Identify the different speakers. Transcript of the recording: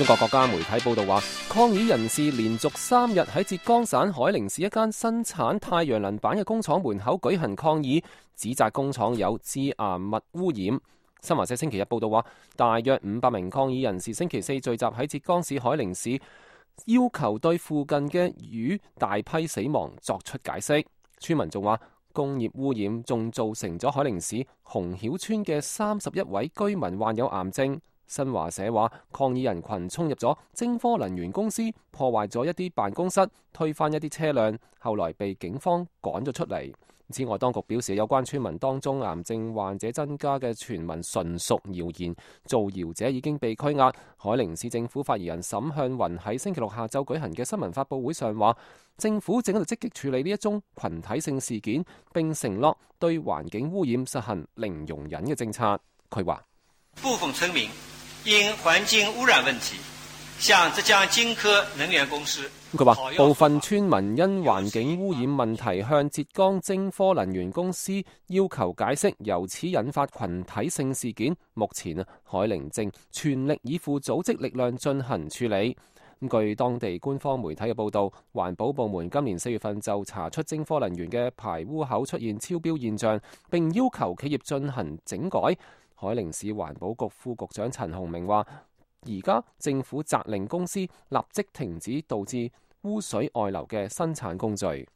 Speaker 1: 中國國家媒體報道話，抗議人士連續3日喺浙江省海寧市一間生產太陽能板嘅工廠門口舉行抗議，指責工廠有致癌物污染。新華社星期日報道話，大約500名抗議人士星期四聚集喺浙江市海寧市，要求對附近嘅魚大批死亡作出解釋。村民仲話，工業污染仲造成咗海寧市洪曉村嘅31位居民患有癌症。新華社話，抗議人群衝入咗晶科能源公司，破壞咗一啲辦公室，推翻一啲車輛，後來被警方趕咗出嚟。此外，當局表示有關村民當中癌症患者增加嘅傳聞純屬謠言，造謠者已經被拘押。海寧市政府發言人沈向雲喺星期六下晝舉行嘅新聞發佈會上話，政府正喺度積極處理呢一宗群體性事件，並承諾對環境污染實行零容忍嘅政策。佢話，
Speaker 2: 部分村民因環境污染問題向浙江晶科能源公司。
Speaker 1: 佢話，部分村民因環境污染問題向浙江晶科能源公司要求解釋，由此引發群體性事件。目前海寧正全力以赴組織力量進行處理。據當地官方媒體嘅報導，環保部門今年4月份就查出晶科能源嘅排污口出現超標現象，並要求企業進行整改。海寧市環保局副局長陳洪明話，而家政府責令公司立即停止導致污水外流嘅生產工序。